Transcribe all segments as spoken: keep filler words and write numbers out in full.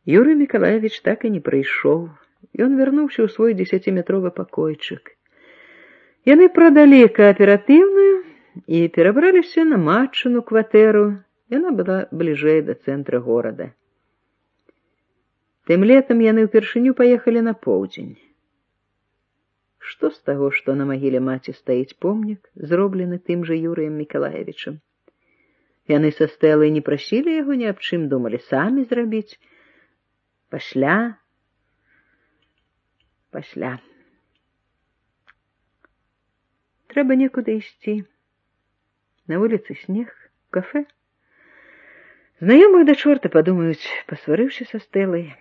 Юрый Миколаевич так и не прыйшоў. Ён вярнуўся ў свой дзесяціметровы пакойчык. Яны прадалі кааператыўную і перабраліся на матчыну кватэру. Яна была бліжэй да цэнтра горада. Тым летам яны ўпершыню паехалі на поўдзень. Што з таго, што на магіле маці стаіць помнік, зроблены тым жа Юрыем Мікалаевічам? Яны са Стэлай не прасілі яго ні аб чым, думалі самі зрабіць. Пасля... Пасля... Трэба некуды ісці. На вуліцы снег, кафе. Знаёмыя да чорта падумаюць, пасварыўся са Стэлай.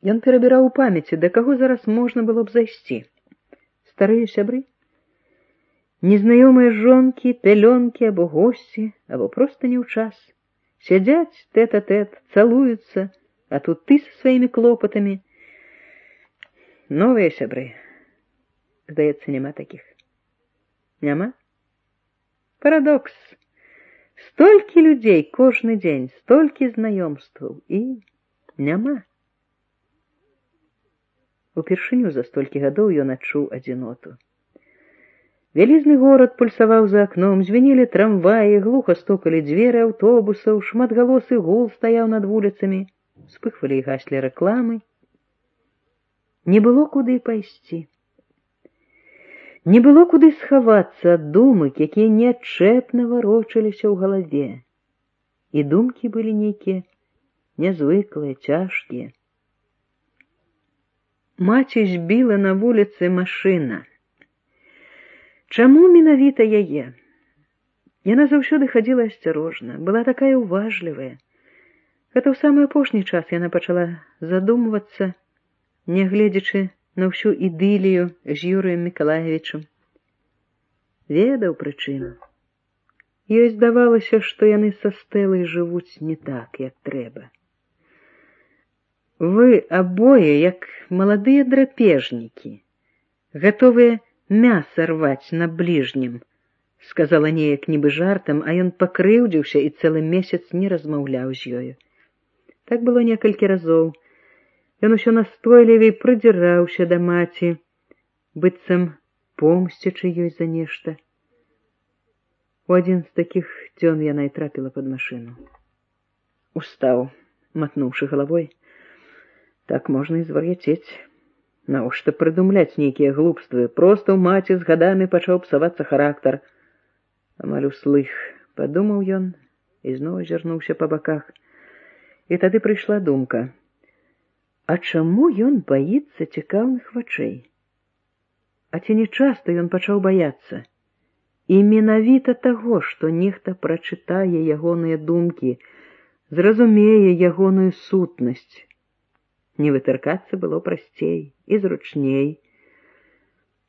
Ён перабіраў у памяці, да каго зараз можна было б зайсці. Старыя сябры? Незнаёмыя жонкі, пялёнкі або госці, або проста не ў час. Сядзяць тэт-а-тэт, цалуюцца, а тут ты са сваімі клопатамі. Новыя сябры. Здаецца, няма такіх. Няма? Парадокс. Столькі людзей кожны дзень, столькі знаёмстваў, і няма. Упершыню за столькі гадоў ён адчуў адзіноту. Вялізны горад пульсаваў за акном, звенелі трамваі, глуха стукалі дзверы аўтобусаў, шматгалосы гул стаяў над вуліцамі, спыхвалі і гаслі рэкламы. Не было куды пайсці. Не было куды схавацца ад думак, якія неадчэпна варочаліся ў галаве. І думкі былі нейкія нязвыклыя, цяжкія. Маці збіла на вуліцы машына. Чаму менавіта яе? Яна заўсёды хадзіла асцярожна, была такая уважлівая. Гэта ў самы апошні час яна пачала задумвацца, нягледзячы на ўсю ідылію з Юрыем Мікалаевічам. Ведаў прычыну. Ёй здавалася, што яны са Стэлай жывуць не так, як трэба. Вы абое, як маладыя драпежнікі, гатовыя мяса рваць на бліжнім, сказала неяк нібы жартам, а ён пакрыўдзіўся і цэлы месяц не размаўляў з ёю. Так было некалькі разоў. Ён усё настойлівей прыдзіраўся да маці, быццам помсцячы ёй за нешта. У адзін з такіх дзён яна і трапіла пад машыну. Устаў, матнуўшы галавой. Так можна і звар'яцець. Навошта прыдумляць нейкія глупствы? Проста ў маці з гадамі пачаў псавацца характар. Амаль услых, падумаў ён і зноў азірнуўся па баках. І тады прыйшла думка. А чаму ён баіцца цікаўных вачэй? А ці не часта ён пачаў баяцца? І менавіта таго, што нехта прачытае ягоныя думкі, зразумее ягоную сутнасць. Не вытыркацца было прасцей і зручней.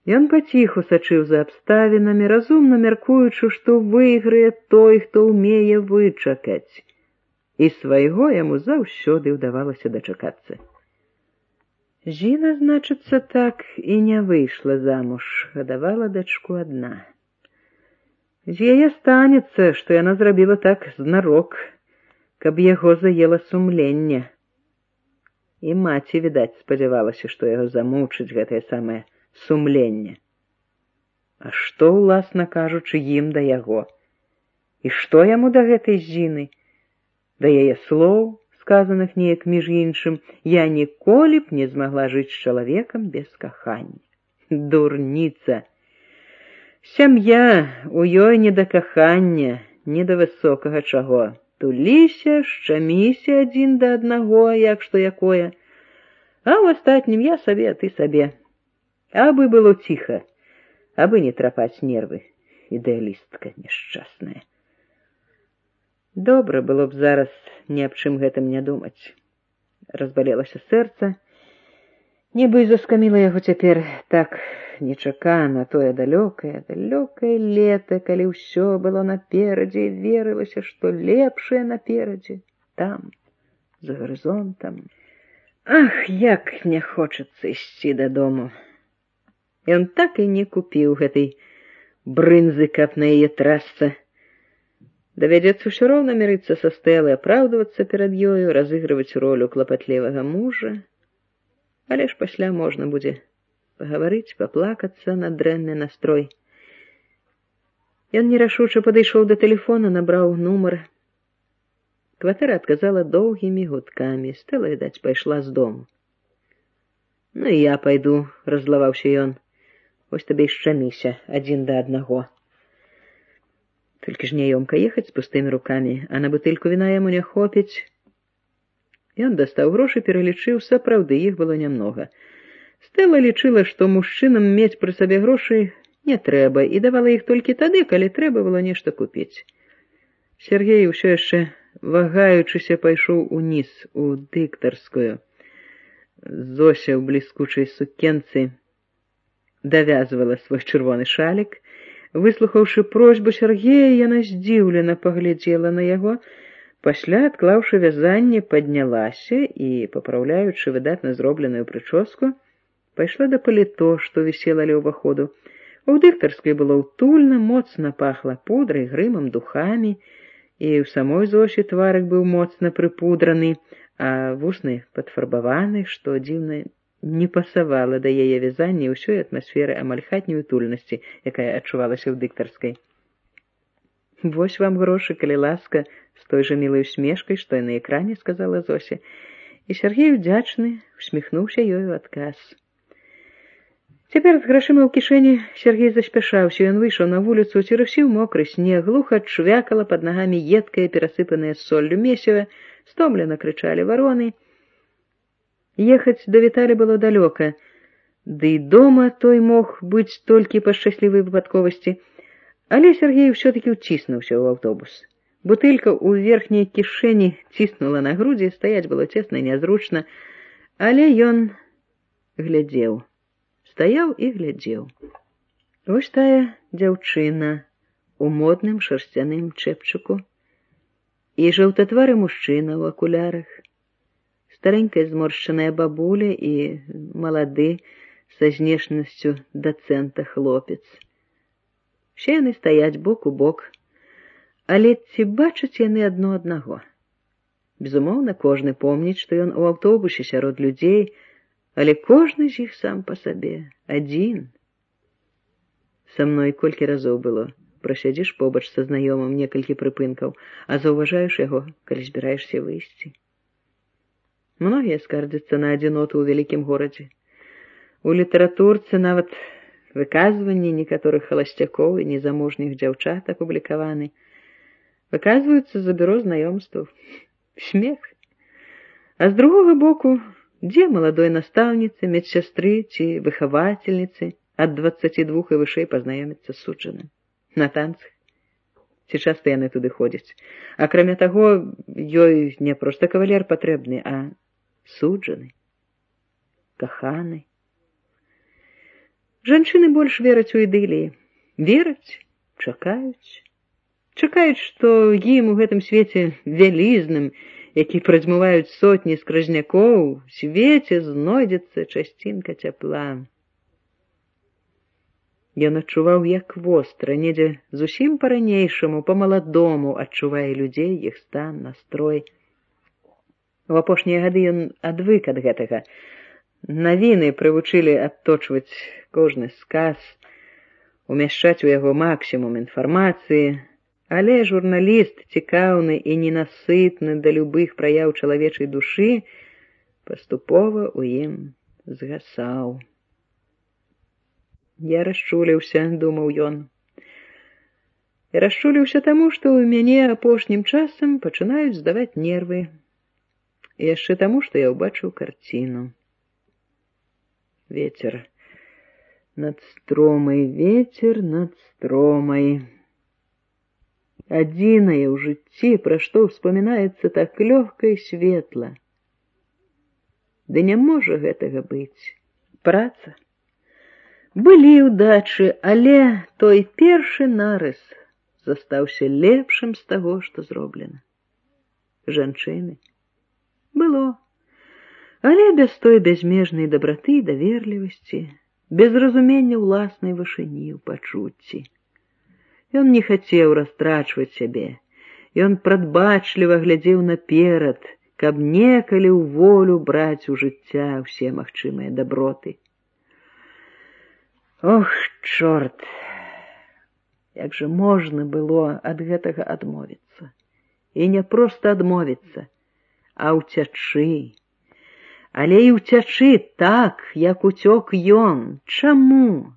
Ён паціху сачыў за абставінамі, разумна мяркуючы, што выйграе той, хто ўмее вычакаць. І свайго яму заўсёды ўдавалася дачакацца. Зіна, значыцца, так і не выйшла замуж, гадавала дачку адна. З яе станецца, што яна зрабіла так знарок, каб яго заела сумленне. І маці, відаць, спадзявалася, што яго замучыць гэтае самае сумленне. А што, уласна кажучы, ім да яго? І што яму да гэтай Зіны? Да яе слоў, сказаных неяк між іншым, я ніколі б не змагла жыць з чалавекам без кахання. Дурніца! Сям'я, у ёй не да кахання, не да высокага чаго. Туліся, шчаміся адзін да аднаго, як што якое. А ў астатнім я сабе, а ты сабе. Абы было ціха, абы не трапаць нервы. Ідэалістка няшчасная. Добра было б зараз ні аб чым гэтым не думаць. Разбалелася сэрца, нібы і заскаміла яго цяпер так нечакана тое далёкае, далёкае лета, калі ўсё было наперадзе, і верылася, што лепшае наперадзе, там, за гарызонтам. Ах, як не хочацца ісці дадому. Ён так і не купіў гэтай брынзы, каб на яе трасца. Давядзецца ўсё роўна мірыцца са Стэлай, апраўдвацца перад ёю, разыгрываць ролю клапатлівага мужа. Але ж пасля можна будзе пагаварыць, паплакацца на дрэнны настрой. Ён нерашуча падышоў да тэлефона, набраў нумар. Кватэра адказала доўгімі гудкамі. Стэла, відаць, пайшла з дому. Ну і я пайду, раззлаваўся ён. Вось табе і шчаміся адзін да аднаго. Толькі ж няёмка ехаць з пустымі рукамі, а на бутыльку віна яму не хопіць. Ён дастаў грошы, пералічыў, сапраўды іх было нямнога. Стэла лічыла, што мужчынам мець пры сабе грошы не трэба, і давала іх толькі тады, калі трэба было нешта купіць. Сергей, усё яшчэ вагаючыся, пайшоў уніз у дыктарскую. Зося ў бліскучай сукенцы давязвала свой чырвоны шалік. Выслухаўшы просьбу Сергея, яна здзіўлена паглядзела на яго. Пасля, адклаўшы вязанне, паднялася і, папраўляючы выдатна зробленую прычоску, пайшла да паліто, што вісела ля ўваходу. У дыктарскай было ўтульна, моцна пахла пудрай, грымам, духамі, і ў самой Зошы тварык быў моцна прыпудраны, а вусны падфарбаваны, што дзіўна не пасавала да яе вязання і ўсёй атмасферы амаль хатняй утульнасці, якая адчувалася ў дыктарскай. «Вось вам грошы, калі ласка», з той жа мілай усмешкай, што і на экране, сказала Зося. І Сергей, удзячны, усміхнуўся ёй у адказ. Цяпер з грашыма ў кішэні Сергей заспяшаўся. Ён выйшаў на вуліцу, церусіў мокры снег, глуха чвякала пад нагамі едкае, перасыпанае соллю месіва, стомлена крычалі вароны. Ехаць да Віталі было далёка, ды і дома той мог быць толькі па шчаслівай выпадковасці. Але Сергей усё-такі ўціснуўся ў аўтобус. Бутылька ў верхняй кішэні ціснула на грудзі, стаяць было цесна і нязручна, але ён глядзеў. Стаяў і глядзеў. Вось тая дзяўчына у модным шарсцяным чэпчыку і жаўтатвары мужчына ў акулярах, старенькая зморшчаная бабуля і малады са знешнасцю дацэнта хлопец. Усе яны стаяць бок у бок, але ці бачаць яны адно аднаго? Безумоўна, кожны помніць, што ён у аўтобусе сярод людзей, але кожны з іх сам па сабе, адзін. Са мной колькі разоў было. Прасядзіш побач са знаёмым некалькі прыпынкаў, а заўважаеш яго, калі збіраешся выйсці. Многія скардзяцца на адзіноту ў вялікім горадзе. У літаратурцы нават выказванні некаторых халасцякоў і незамужніх дзяўчат апублікаваны. Выказваюцца за бюро знаёмстваў. Смех. А з другога боку, дзе маладой настаўніцы, медсястры ці выхавацельніцы ад дваццаці двух і вышэй пазнаёміцца з суджаным? На танцах? Ці часта яны туды ходзяць? Акрамя таго, ёй не проста кавалер патрэбны, а суджаны, каханы. Жанчыны больш вераць у ідыліі. Вераць, чакаюць. Чакаюць, што ім у гэтым свеце вялізным, які прадзьмуваюць сотні скразнякоў, у свеце знойдзецца часцінка цяпла. Ён адчуваў, як востра, недзе зусім па-ранейшаму, па-маладому адчувае людзей, іх стан, настрой. У апошнія гады ён адвык ад гэтага. Навіны прывучылі адточваць кожны сказ, умяшчаць у яго максімум інфармацыі, але журналіст, цікаўны і ненасытны да любых праяў чалавечай душы, паступова ў ім згасаў. Я расчуліўся, думаў ён. Я расчуліўся таму, што ў мяне апошнім часам пачынаюць здаваць нервы. І яшчэ таму, што я ўбачыў карціну. Вецер над стромай, вецер над стромай. Адзінае ў жыцці, пра што ўспамінаецца так лёгка і светла. Ды не можа гэтага быць. Праца. Былі ўдачы, але той першы нарыс застаўся лепшым з таго, што зроблена. Жанчыны. Было. Але без той бязмежнай дабраты і даверлівасці, без разумення ўласнай вышыні ў пачуцці. Ён не хацеў растрачваць сябе, Ён прадбачліва глядзеў наперад, каб некалі ў волю браць у жыцця ўсе магчымыя даброты. Ох, чорт! Як жа можна было ад гэтага адмовіцца? І не проста адмовіцца, а ўцячы. Але і ўцячы так, як уцёк ён. Чаму?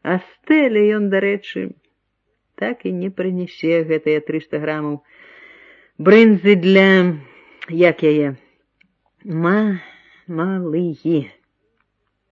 А Стэле ён, дарэчы, так і не прынясе гэтыя трыста грамаў брынзы для, як яе, ма, малыі.